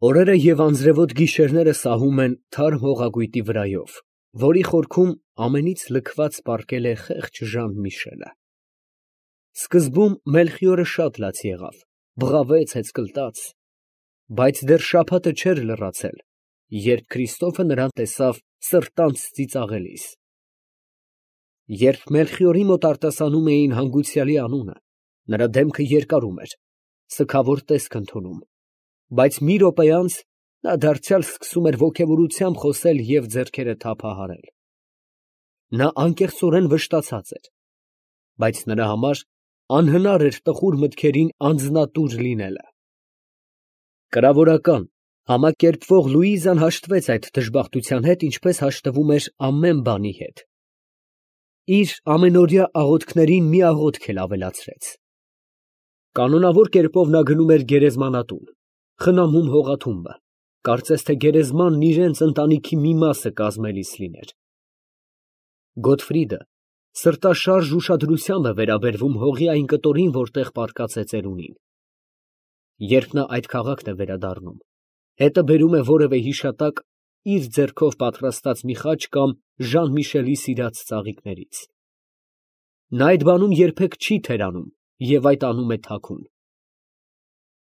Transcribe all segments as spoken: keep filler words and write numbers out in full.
Օրերը և անձրևոտ գիշերները սահում են թարմ հողագույտի վրայով, որի խորքում ամենից լքված պառկել է խեղճ Ժան֊Միշելը։ Սկզբում Մելխիորը շատ լաց եղավ, բղավեց, հեծկլտաց, բայց դեռ շաբաթը չէր լրացել, երբ Քրիստոֆը նրան տեսավ սրտանց ծիծաղելիս։ Երբ Մելխիորի մոտ արտասանում էին հանգուցյալի անունը, նրա դեմքը երկարում էր, սգավոր տեսք ընդունում, բայց մի րոպե անց նա դարձյալ սկսում էր ոգևորությամբ խոսել և ձեռքերը թափահարել։ Նա անկեղծորեն վշտացած էր, բայց նրա համար անհնար էր տխուր մտքերին անձնատուր լինելը։ Կրավորական, համակերպվող Լուիզան հաշտվեց այդ դժբախտության հետ, ինչպես հաշտվում էր ամեն բանի հետ։ Իր ամենօրյա աղոթքներին մի աղոթք էլ ավելացրեց։ Կանոնավոր կերպով նա գնում էր գերեզմանատուն, խնամում հողաթուղթը, կարծես թե գերեզմանն իրենց ընտանիքի մի մասը կազմելիս լիներ։ Գոտֆրիդը սրտաշարժ ուշադրությամբ է վերաբերվում հողի այն կտորին, որտեղ պառկած է ծերունին։ Երբ նա այդ քաղաքն է վերադառնում, հետը բերում է որևէ հիշատակ իր ձեռքով պատրաստած մի խաչ կամ Ժան֊Միշելի սիրած ծաղիկներից։ Նա այդ բանում երբեք չի թերանում և այդ անում է թաքուն։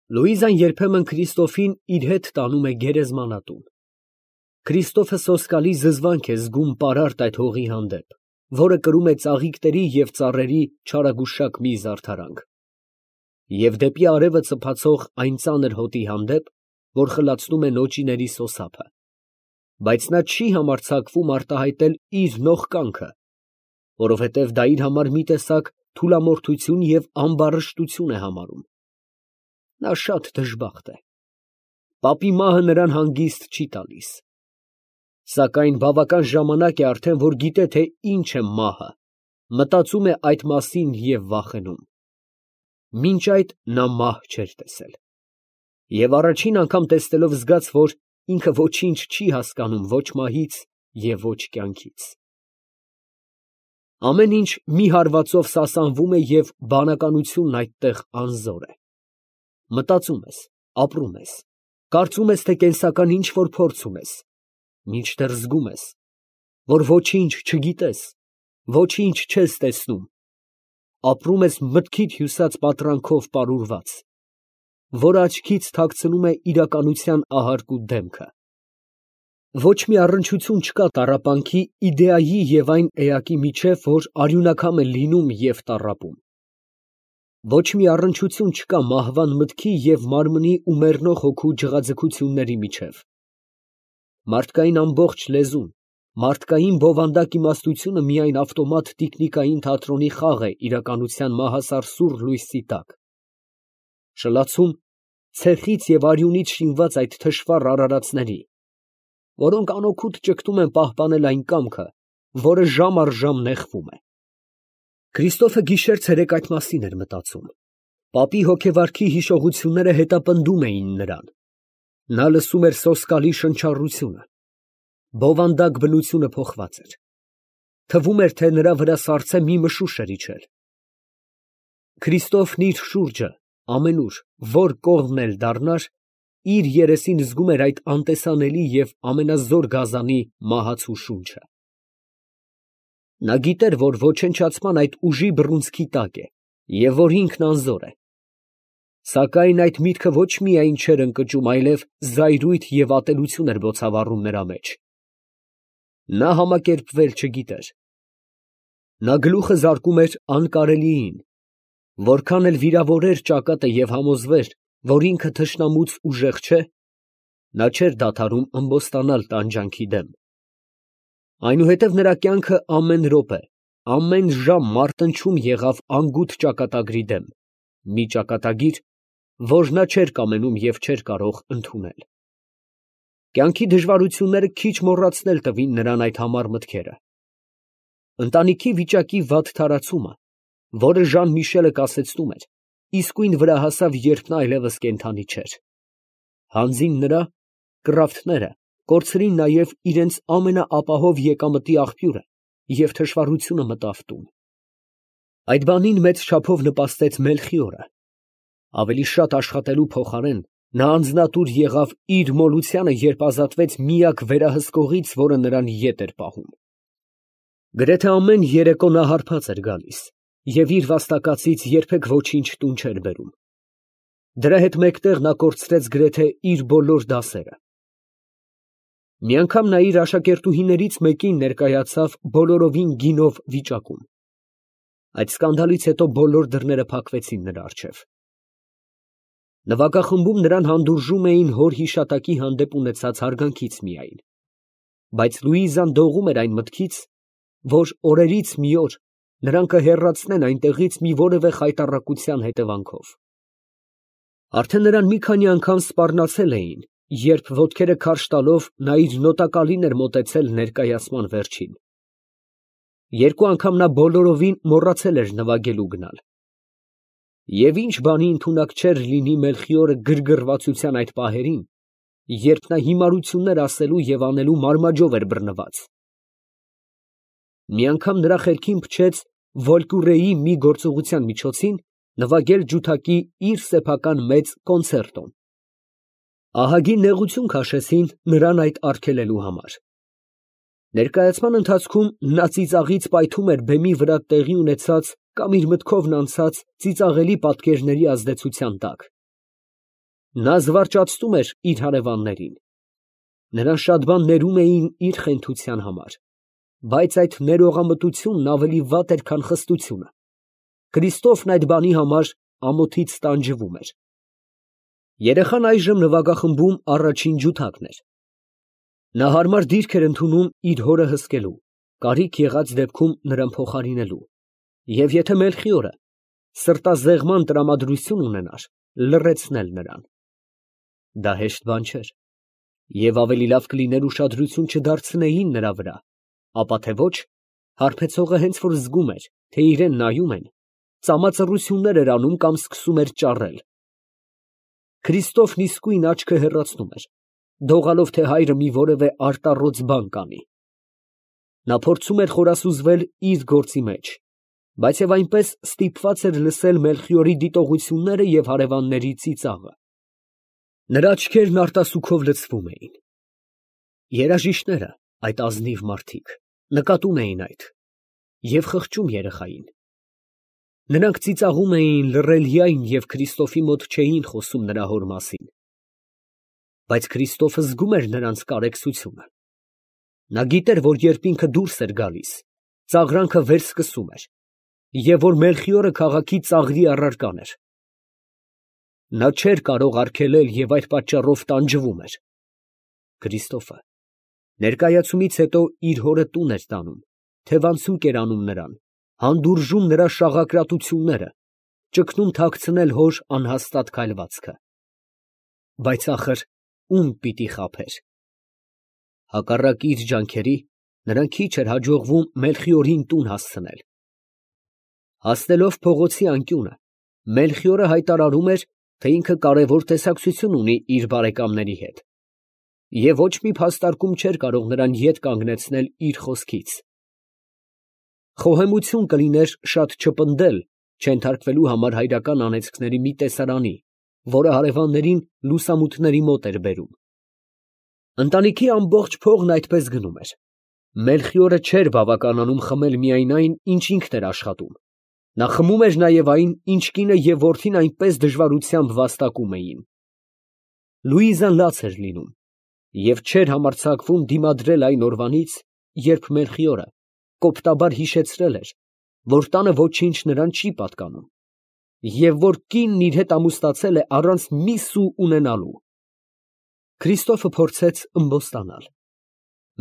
Լուիզան երբեմն Քրիստոֆին իր հետ տանում է գերեզմանատուն։ Քրիստոֆը սոսկալի զզվանք է զգում պարարտ այդ հողի հանդեպ, որը կրում է ծաղիկների և ծառերի չարագուշակ մի զարդարանք, և դեպի արևը ծփացող այն ծանր հոտի հանդեպ, որ խլացնում է նոճիների սոսափը, բայց նա չի համարձակվում արտահայտել իր նողկանքը, որովհետև դա իր համար մի տեսակ թուլամորթություն և ամբարշտություն է համարում։ Նա շատ դժբախտ է։ Պապի մահը նրան հանգիստ չի տալիս։ Սակայն բավական ժամանակ է արդեն, որ գիտե, թե ինչ է մահը, մտածում է այդ մասին և վախենում։ Մինչ այդ նա մահ չէր տեսել։ Եվ առաջին անգամ տեսնելով զգաց, որ ինքը ոչինչ չի հասկանում ո՛չ մահից և ո՛չ կյանքից։ Ամեն ինչ մի հարվածով սասանվում է և բանականությունն այդտեղ անզոր է։ Մտածում ես, ապրում ես, կարծում ես, թե կենսական ինչ֊որ փորձ ունես, մինչդեռ զգում ես, որ ոչինչ չգիտես, ոչինչ չես տեսնում, ապրում ես մտքիդ հյուսած պատրանքով պարուրված, որ աչքից թաքցնում է իրականության ահարկու դեմքը։ Ոչ մի առնչություն չկա տառապանքի իդեայի և այն էակի միջև, որ արյունակամ է լինում և տառապում։ Ոչ մի առնչություն չկա մահվան մտքի և մարմնի ու մեռնող հոգու ջղաձգությունների միջև։ Մարդկային ամբողջ լեզուն, մարդկային բովանդակ իմաստությունը միայն ավտոմատ տիկնիկային թատրոնի խաղ է իրականության մահասար սուռ լույսի տակ։ Շլացում ցեխից և արյունից շինված այդ թշվառ արարածների, որոնք անօգուտ ճգտում են պահպանել այն կամքը, որը ժամ առ ժամ նեղվում է։ Քրիստոֆը գիշեր֊ցերեկ այդ մասին էր մտածում։ Պապի հոգեվարքի հիշողությունները հետապնդում էին նրան։ Նա լսում էր սոսկալի շնչառությունը։ Բովանդակ բնությունը փոխված էր։ Թվում էր, թե նրա վրա սառցե մի մշուշ էր իջել։ Քրիստոֆն իր շուրջը, ամենուր, որ կողմն էլ դառնար, իր երեսին զգում էր այդ անտեսանելի և ամենազոր գազանի մահացու շունչը։ Նա գիտեր, որ ոչնչացման այդ ուժի բռունցքի տակ է և որ ինքն անզոր է։ Սակայն այդ միտքը ոչ միայն չէր ընկճում, այլև զայրույթ և ատելություն էր բոցավառում նրա մեջ։ Նա համակերպվել չգիտեր։ Նա գլուխը զարկում էր անկարելիին, որքան էլ վիրավորեր ճակատը և համոզվեր, որ ինքը թշնամուց ուժեղ չէ, նա չէր դադարում ըմբոստանալ տանջանքի դեմ։ Այնուհետև նրա կյանքը ամեն րոպե, ամեն ժամ մարտնչում եղավ անգութ ճակատագրի դեմ, մի ճակատագիր, որ նա չէր կամենում և չէր կարող ընդունել։ Կյանքի դժվարությունները քիչ մոռացնել տվին նրան այդ համառ մտքերը։ Ընտանիքի վիճակի վատ թարացումը, որը Ժան֊Միշելը կասեցնում էր, իսկույն վրա հասավ, երբ նա այլևս կենդանի չէր։ Հանձին նրա, կռավթները կորցրին նաև իրենց ամենաապահով եկամտի աղբյուրը և թշվառությունը մտավ տուն։ Այդ բանին մեծ չափով նպաստեց Մելխիորը։ Ավելի շատ աշխատելու փոխարեն, Նա անձնատուր եղավ իր մոլությանը, երբ ազատվեց միակ վերահսկողից, որը նրան ետ էր պահում։ Գրեթե ամեն երեկո նա հարբած էր գալիս և իր վաստակածից երբեք ոչինչ տուն չէր բերում։ Դրա հետ մեկտեղ նա կորցրեց գրեթե իր բոլոր դասերը։ Մի անգամ նա իր աշակերտուհիներից մեկին ներկայացավ բոլորովին գինով վիճակում։ Այդ սկանդալից հետո բոլոր դռները փակվեցին նրա առջև։ Նվագախմբում նրան հանդուրժում էին հոր հիշատակի հանդեպ ունեցած հարգանքից միայն, բայց Լուիզան դողում էր այն մտքից, որ օրերից մի օր նրան կհեռացնեն այնտեղից մի որևէ խայտառակության հետևանքով։ Արդեն նրան մի քանի անգամ սպառնացել էին, երբ ոտքերը քարշ տալով նա իր նոտակալին էր մոտեցել ներկայացման վերջին։ Երկու անգամ նա բոլորովին մոռացել էր նվագելու գնալ։ Եվ ինչ բանի ընդունակ չէր լինի Մելխիորը գրգռվածության այդ պահերին, երբ նա հիմարություններ ասելու և անելու մարմաջով էր բռնված։ Մի անգամ նրա խելքին փչեց Վոլկուրեի մի գործողության միջոցին նվագել ջութակի իր սեփական մեծ կոնցերտոն։ Ահագին նեղություն քաշեցին նրան այդ արգելելու համար։ Ներկայացման ընթացքում նա ծիծաղից պայթում էր բեմի վրա տեղի ունեցած կամ իր մտքովն անցած ծիծաղելի պատկերների ազդեցության տակ։ Նա զվարճացնում էր իր հարևաններին։ Նրան շատ բան ներում էին իր խենթության համար, բայց այդ ներողամտությունն ավելի վատ էր, քան խստությունը։ Քրիստոֆն այդ բանի համար ամոթից տանջվում էր։ Երեխան այժմ նվագախմբում առաջին ջութակն էր։ Նա հարմար դիրք էր ընդունում իր հորը հսկելու, կարիք եղած դեպքում նրան փոխարինելու, և եթե Մելխիորը սրտազեղման տրամադրություն ունենար, լռեցնել նրան։ Դա հեշտ բան չէր, և ավելի լավ կլիներ ուշադրություն չդարձնեին նրա վրա, ապա թե ոչ, հարբեցողը հենց որ զգում էր, թե իրան նայում են, ծամածռություններ էր անում կամ սկսում էր ճառել։ Քրիստոֆն իսկույն աչքը հեռացնում էր, դողալով, թե հայրը մի որևէ արտառոց բան կանի։ Նա փորձում էր խորասուզվել իր գործի մեջ, բայց և այնպես ստիպված էր լսել Մելխիորի դիտողությունները և հարևանների ծիծաղը։ Նրա աչքերն արտասուքով լցվում էին։ Երաժիշտները, այդ ազնիվ մարդիկ, նկատում էին այդ և խղճում երեխային։ Նրանք ծիծաղում էին լռելյայն և Քրիստոֆի մոտ չէին խոսում նրա հոր մասին։ Բայց Քրիստոֆը զգում էր նրանց կարեկցությունը։ Նա գիտեր, որ երբ ինքը դուրս էր գալիս, ծաղրանքը վերսկսում էր, և որ Մելխիորը քաղաքի ծաղրի առարկան էր։ Նա չէր կարող արգելել և այդ պատճառով տանջվում էր։ Քրիստոֆը ներկայացումից հետո իր հորը տուն էր տանում, թևանցուկ էր անում նրան, հանդուրժում նրա շաղակրատությունները, ճգնում թաքցնել հոր անհաստատ քայլվածքը։ Բայց ախր ում պիտի խաբեր։ Հակառակ իր ջանքերի, նրան քիչ էր հաջողվում Մելխիորին տուն հասցնել։ Հասնելով փողոցի անկյունը, Մելխիորը հայտարարում էր, թե ինքը կարևոր տեսակցություն ունի իր բարեկամների հետ, և ոչ մի փաստարկում չէր կարող նրան ետ կանգնեցնել իր խոսքից։ Խոհեմություն կլիներ շատ չպնդել չենթարկվելու համար հայրական անեծքների մի տեսարանի, որը հարևաններին լուսամուտների մոտ էր բերում։ Ընտանիքի ամբողջ փողն այդպես գնում էր։ Մելխիորը չէր բավականանում խմել միայն այն, ինչ ինքն էր աշխատում։ Նա խմում էր նաև այն, ինչ կինը և որդին այնպես դժվարությամբ վաստակում էին։ Լուիզան լաց էր լինում և չէր համարձակվում դիմադրել այն օրվանից, երբ Մելխիորը կոպտաբար հիշեցրել էր, որ տանը ոչինչ նրան չի պատկանում, և որ կինն իր հետ ամուսնացել է առանց մի սու ունենալու։ Քրիստոֆը փորձեց ըմբոստանալ։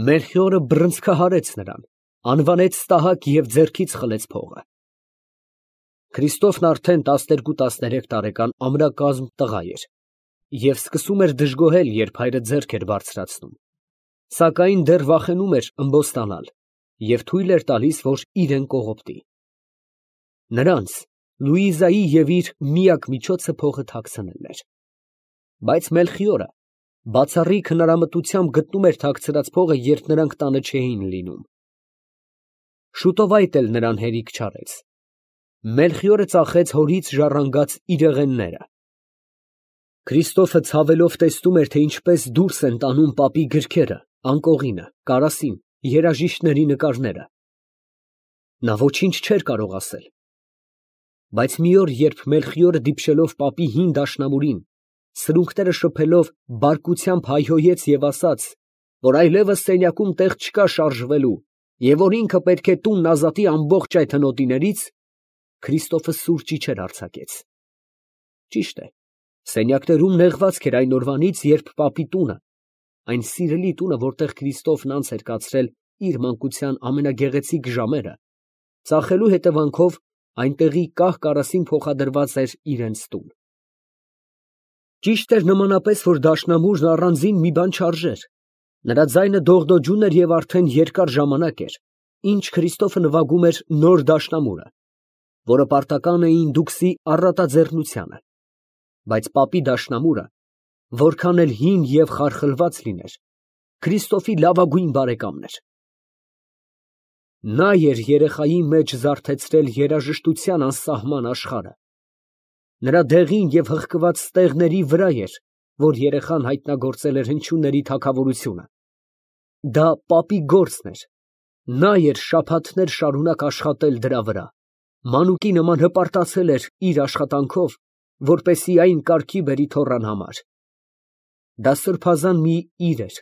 Մելխիորը բռնցքահարեց նրան, անվանեց ստահակ և ձեռքից խլեց փողը։ Քրիստոֆն արդեն տասներկու տասներեք տարեկան ամրակազմ տղա էր և սկսում էր դժգոհել, երբ հայրը ձեռք էր բարձրացնում, սակայն դեռ վախենում էր ըմբոստանալ և թույլ էր տալիս, որ իրեն կողոպտի։ Նրանց, Լուիզայի և իր միակ միջոցը փողը թաքցնելն էր։ Բայց Մելխիորը բացառիկ հնարամտությամբ գտնում էր թաքցրած փողը, երբ նրանք տանը չէին լինում։ Շուտով այդ էլ նրան հերիք չարեց։ Մելխիորը ծախեց հորից ժառանգած իրեղենները։ Քրիստոֆը ցավելով տեսնում էր, թե ինչպես դուրս են տանում պապի գրքերը, անկողինը, կարասին, երաժիշտների նկարները։ Նա ոչինչ չէր կարող ասել։ Բայց մի օր, երբ Մելխիորը դիպչելով պապի հին դաշնամուրին, սրունքները շփելով բարկությամբ հայհոյեց և ասաց, որ այլևս սենյակում տեղ չկա շարժվելու, և որ ինքը պետք է տունն ազատի ամբողջ այդ հնոտիներից, Քրիստոֆը սուր ճիչեր արձակեց։ Ճիշտ է, սենյակներում նեղվածք էր այն օրվանից, երբ պապի տունը, այն սիրելի տունը, որտեղ Քրիստոֆն անց էր կացրել իր մանկության ամենագեղեցիկ ժամերը, ծախելու հետևանքով այնտեղի կահ կարասին փոխադրված էր իրենց տուն։ Ճիշտ էր նմանապես, որ դաշնամուրն առանձին մի բան չարժեր։ Նրա ձայնը դողդոջուն էր և արդեն երկար ժամանակ էր, ինչ Քրիստոֆը նվագում էր նոր դաշնամուրը, որը պարտական էին դուքսի առատաձեռնությանը, բայց պապի դաշնամուրը, որքան էլ հին և խարխլված լիներ, Քրիստոֆի լավագույն բարեկամն էր։ Նա էր երեխայի մեջ զարթեցրել երաժշտության անսահման աշխարհը։ Նրա դեղին և հղկված ստեղների վրա էր, որ երեխան հայտնագործել էր հնչյունների թագավորությունը։ Դա պապի գործն էր։ Նա էր շաբաթներ շարունակ աշխատել դրա վրա, մանուկի նման հպարտացել էր իր աշխատանքով, որպեսզի այն կարգի բերի թոռան համար։ Դա սրբազան մի իր էր։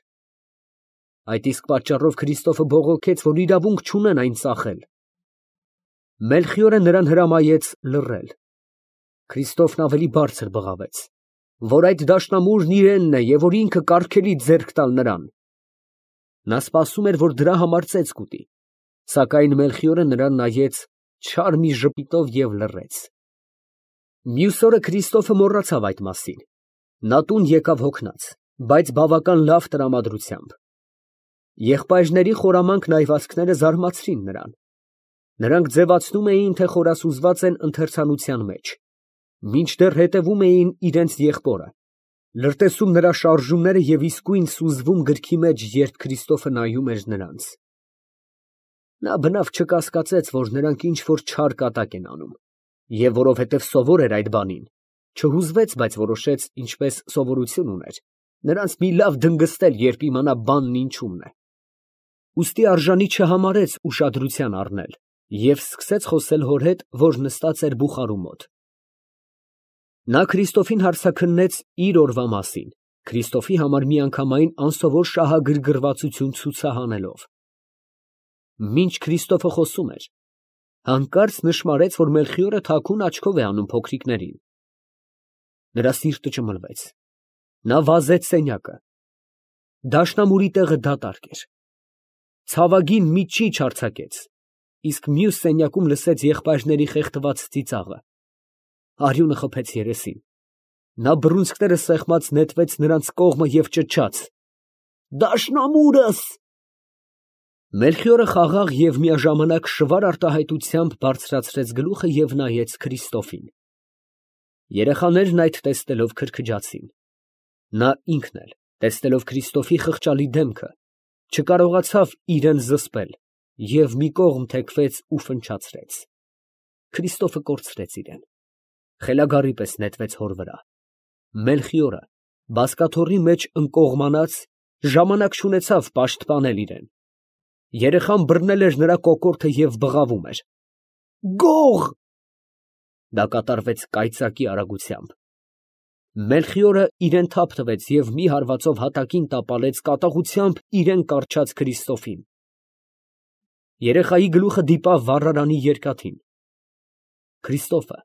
Այդ իսկ պատճառով Քրիստոֆը բողոքեց, որ իրավունք չունեն այն ծախել։ Մելխիորը նրան հրամայեց լռել։ Քրիստոֆն ավելի բարձր բղավեց, որ այդ դաշնամուրն իրենն է և որ ինքը կարգելի ձեռք տալ նրան։ Նա սպասում էր, որ դրա համար ծեծ կուտի, սակայն Մելխիորը նրան նայեց չար մի ժպիտով և լռեց։ Մյուս օրը Քրիստոֆը մոռացավ այդ մասին։ Նա տուն եկավ հոգնած, բայց բավական լավ տրամադրությամբ։ Եղբայրների խորամանկ նայվածքները զարմացրին նրան։ Նրանք ձևացնում էին, թե խորասուզված են ընթերցանության մեջ, մինչդեռ հետևում էին իրենց եղբորը, լրտեսում նրա շարժումները և իսկույն սուզվում գրքի մեջ, երբ Քրիստոֆը նայում էր նրանց։ Նա բնավ չկասկածեց, որ նրանք ինչ֊որ չար կատակ են անում, և որովհետև սովոր էր այդ բանին, չհուզվեց, բայց որոշեց, ինչպես սովորություն ուներ, նրանց մի լավ դնգստել, երբ իմանա բանն ինչումն է։ Ուստի արժանի չհամարեց ուշադրության առնել և սկսեց խոսել հոր հետ, որ նստած էր բուխարու մոտ։ Նա Քրիստոֆին հարցաքննեց իր օրվա մասին, Քրիստոֆի համար միանգամայն անսովոր շահագրգռվածություն ցուցահանելով։ Մինչ Քրիստոֆը խոսում էր, հանկարծ նշմարեց, որ Մելխիորը թաքուն աչքով է անում փոքրիկներին։ Նրա սիրտը ճմլվեց։ Նա վազեց սենյակը։ Դաշնամուրի տեղը դատարկ էր։ Ցավագին մի ճիչ արձակեց, իսկ մյուս սենյակում լսեց եղբայրների խեղդված ծիծաղը։ Արյունը խփեց երեսին։ Նա բռունցքները սեղմած նետվեց նրանց կողմը և ճչաց. «Դաշնամուրս»։ Մելխիորը խաղաղ և միաժամանակ շվար արտահայտությամբ բարձրացրեց գլուխը և նայեց Քրիստոֆին։ Երեխաներն այդ տեսնելով քրքջացին։ Նա ինքն էլ, տեսնելով Քրիստոֆի խղճալի դեմքը, չկարողացավ իրան զսպել և մի կողմ թեքվեց ու ֆնչացրեց։ Քրիստոֆը կորցրեց իրան, խելագարի պես նետվեց հոր վրա։ Մելխիորը, բազկաթոռի մեջ ընկողմանած, ժամանակ չունեցավ պաշտպանել իրան։ Երեխան բռնել էր նրա կոկորդը և բղավում էր. «Գող»։ Դա կատարվեց կայծակի արագությամբ։ Մելխիորը իրան թափ տվեց և մի հարվածով հատակին տապալեց կատաղությամբ իրան կառչած Քրիստոֆին։ Երեխայի գլուխը դիպավ վառարանի երկաթին։ Քրիստոֆը,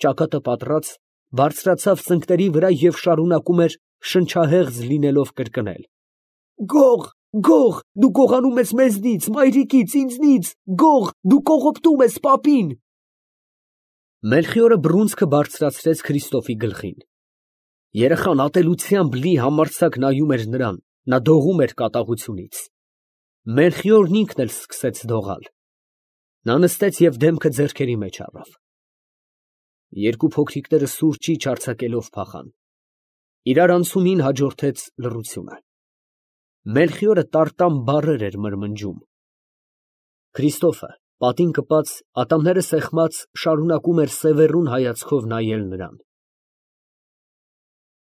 ճակատը պատռած, բարձրացավ ծնկների վրա և շարունակում էր շնչահեղձ լինելով կրկնել. «Գող, գող, դու գողանում ես մեզնից, մայրիկից, ինձնից, գող, դու կողոպտում ես պապին»։ Մելխիորը բռունցքը բարձրացրեց Քրիստոֆի գլխին։ Երեխան ատելությամբ լի համարձակ նայում էր նրան, նա դողում էր կատաղությունից։ Մելխիորն ինքն էլ սկսեց դողալ։ Նա նստեց և դեմքը ձեռքերի մեջ առավ։ Երկու փոքրիկները սուր ճիչ արձակելով փախան։ Իրար անցումին հաջորդեց լռությունը։ Մելխիորը տարտամ բառեր էր մրմնջում։ Քրիստոֆը, պատին կպած, ատամները սեղմած, շարունակում էր սևեռուն հայացքով նայել նրան։